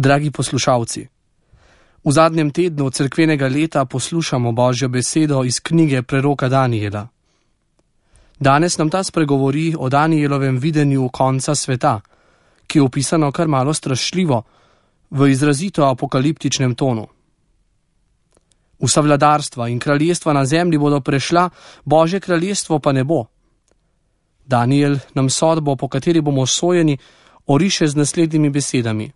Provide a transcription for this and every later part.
Dragi poslušalci, v zadnjem tednu cerkvenega leta poslušamo Božjo besedo iz knjige preroka Danijela. Danes nam ta spregovori o Danijelovem videnju konca sveta, ki je opisano kar malo strašljivo, v izrazito apokaliptičnem tonu. Vsa vladarstva in kraljestva na zemlji bodo prešla, Božje kraljestvo pa ne bo. Danijel nam sodbo, po kateri bomo sojeni, oriše z naslednjimi besedami.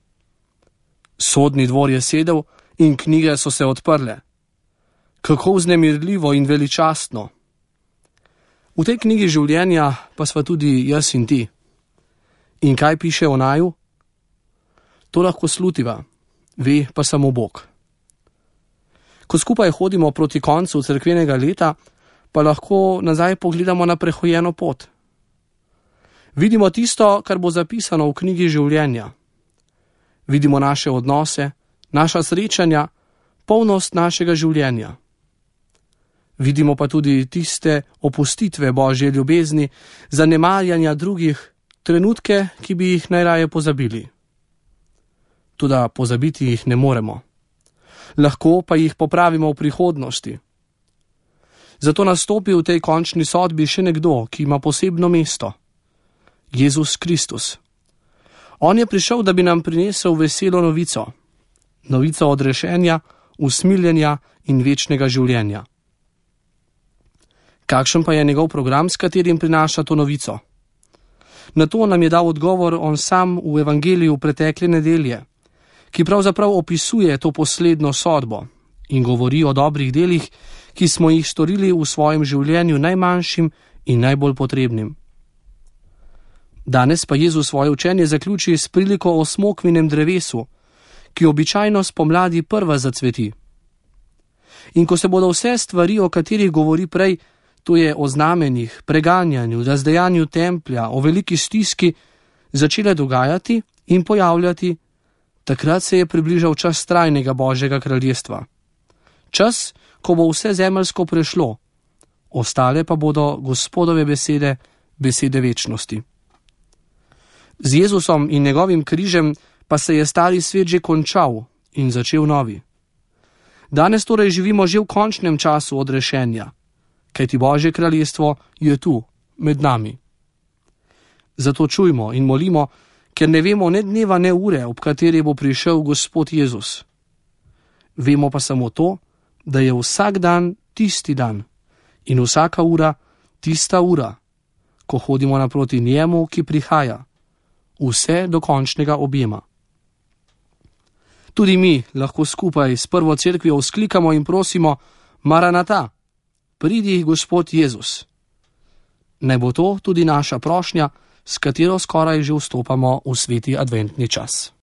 Sodni dvor je sedel in knjige so se odprle. Kako vznemirljivo in veličastno. V tej knjigi življenja pa sva tudi jaz in ti. In kaj piše o naju? To lahko slutiva, ve pa samo Bog. Ko skupaj hodimo proti koncu cerkvenega leta, pa lahko nazaj pogledamo na prehojeno pot. Vidimo tisto, kar bo zapisano v knjigi življenja. Vidimo naše odnose, naša srečanja, polnost našega življenja. Vidimo pa tudi tiste opustitve Božje ljubezni, zanemarjanja drugih, trenutke, ki bi jih najraje pozabili. Toda pozabiti jih ne moremo. Lahko pa jih popravimo v prihodnosti. Zato nastopi v tej končni sodbi še nekdo, ki ima posebno mesto. Jezus Kristus. On je prišel, da bi nam prinesel veselo novico. Novico odrešenja, usmiljenja in večnega življenja. Kakšen pa je njegov program, s katerim prinaša to novico? Na to nam je dal odgovor on sam v evangeliju pretekle nedelje, ki pravzaprav opisuje to poslednjo sodbo in govori o dobrih delih, ki smo jih storili v svojem življenju najmanjšim in najbolj potrebnim. Danes pa Jezus svoje učenje zaključi s priliko o smokvinem drevesu, ki običajno spomladi prva zacveti. In ko se bodo vse stvari, o katerih govori prej, to je o znamenjih, preganjanju, razdejanju templja, o veliki stiski, začele dogajati in pojavljati, takrat se je približal čas trajnega Božjega kraljestva. Čas, ko bo vse zemeljsko prešlo, ostale pa bodo Gospodove besede, besede večnosti. Z Jezusom in njegovim križem pa se je stari svet že končal in začel novi. Danes torej živimo že v končnem času odrešenja, kajti Božje kraljestvo je tu, med nami. Zato čujmo in molimo, ker ne vemo ne dneva, ne ure, ob kateri bo prišel Gospod Jezus. Vemo pa samo to, da je vsak dan tisti dan in vsaka ura tista ura, ko hodimo naproti njemu, ki prihaja, vse do končnega objema. Tudi mi lahko skupaj s prvo cerkvijo vzklikamo in prosimo: Maranata, pridi Gospod Jezus. Naj bo to tudi naša prošnja, s katero skoraj že vstopamo v sveti adventni čas.